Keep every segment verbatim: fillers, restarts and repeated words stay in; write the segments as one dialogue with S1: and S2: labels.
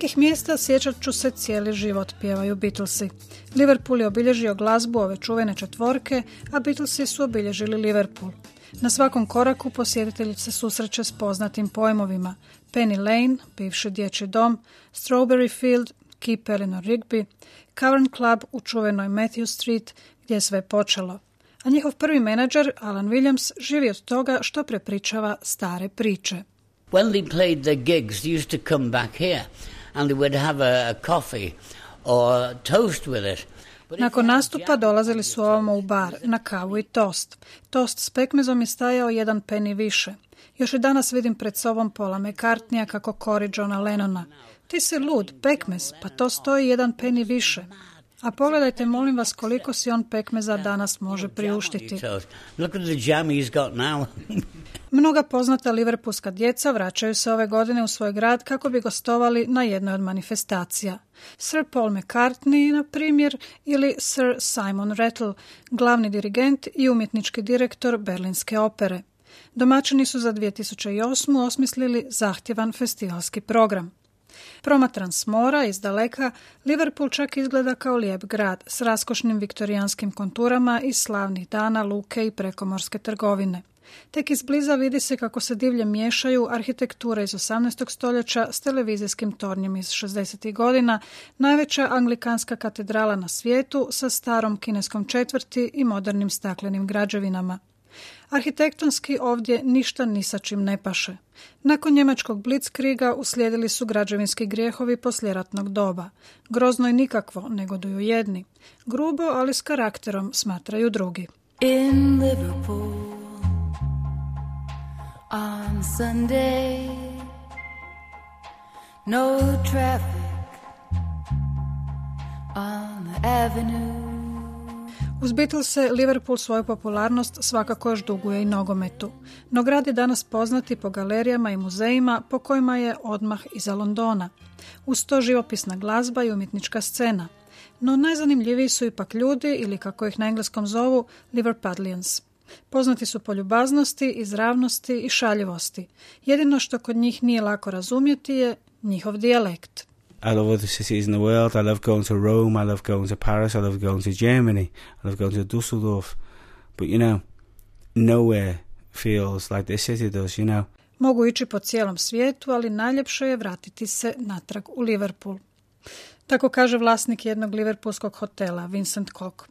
S1: Nekih mjesta sjećat ću se cijeli život, pjevaju Beatlesi. Liverpool je obilježio glazbu ove čuvene četvorke, a Beatlesi su obilježili Liverpool. Na svakom koraku posjetitelj se susreće s poznatim pojmovima: Penny Lane, bivši dječji dom, Strawberry Field, Keep Eleanor Rigby, Cavern Club u čuvenoj Matthew Street, gdje je sve počelo. A njihov prvi menadžer, Alan Williams, živi od toga što prepričava stare priče.
S2: When they played their gigs, they used to come back here and they would have a, a coffee or toast with it.
S1: Nakon nastupa dolazili su ovamo u bar, na kavu i tost. Tost s pekmezom je stajao jedan peni više. Još i danas vidim pred sobom Paula McCartneya kako kori Johna Lennona. Ti si lud, pekmez, pa to stoji jedan peni više. A pogledajte, molim vas, koliko si on pekmeza danas može priuštiti.
S2: Look at the jam he's got now.
S1: Mnoga poznata liverpoolska djeca vraćaju se ove godine u svoj grad kako bi gostovali na jednoj od manifestacija. Sir Paul McCartney, na primjer, ili Sir Simon Rattle, glavni dirigent i umjetnički direktor Berlinske opere. Domaćini su za dvije tisuće osmu osmislili zahtjevan festivalski program. Promatran s mora, iz daleka, Liverpool čak izgleda kao lijep grad s raskošnim viktorijanskim konturama iz slavnih dana, luke i prekomorske trgovine. Tek izbliza vidi se kako se divlje miješaju arhitektura iz osamnaestog stoljeća s televizijskim tornjem iz šezdesetih godina, najveća anglikanska katedrala na svijetu sa starom kineskom četvrti i modernim staklenim građevinama. Arhitektonski ovdje ništa ni sa čim ne paše. Nakon njemačkog blitzkriga uslijedili su građevinski grijehovi poslijeratnog doba. Grozno i nikakvo, negoduju jedni. Grubo, ali s karakterom, smatraju drugi.
S3: In Liverpool on Sunday, no traffic on the avenue.
S1: Uz Beatlese Liverpool svoju popularnost svakako još duguje i nogometu. No grad je danas poznat i po galerijama i muzejima po kojima je odmah iza Londona. Uz to živopisna glazba i umjetnička scena. No najzanimljiviji su ipak ljudi, ili kako ih na engleskom zovu, Liverpudlians. Poznati su po ljubaznosti, izravnosti i šaljivosti. Jedino što kod njih nije lako razumjeti je njihov dijalekt.
S4: I love other cities in the world. I love going to Rome. I love going to Paris. I love going to Germany. I love going to Dusseldorf. But you know, nowhere feels like this city does, you know.
S1: Mogu ići po cijelom svijetu, ali najljepše je vratiti se natrag u Liverpool. Tako kaže vlasnik jednog liverpoolskog hotela, Vincent Cook.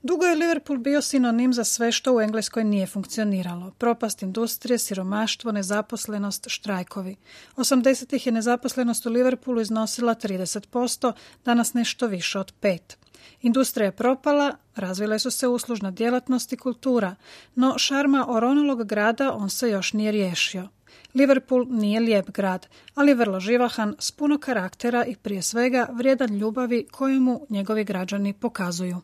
S1: Dugo je Liverpool bio sinonim za sve što u Engleskoj nije funkcioniralo. Propast industrije, siromaštvo, nezaposlenost, štrajkovi. osamdesetih je nezaposlenost u Liverpoolu iznosila trideset posto, danas nešto više od pet. Industrija je propala, razvile su se uslužna djelatnost i kultura, no šarma oronulog grada on se još nije riješio. Liverpool nije lijep grad, ali vrlo živahan, s puno karaktera i prije svega vrijedan ljubavi koju mu njegovi građani pokazuju.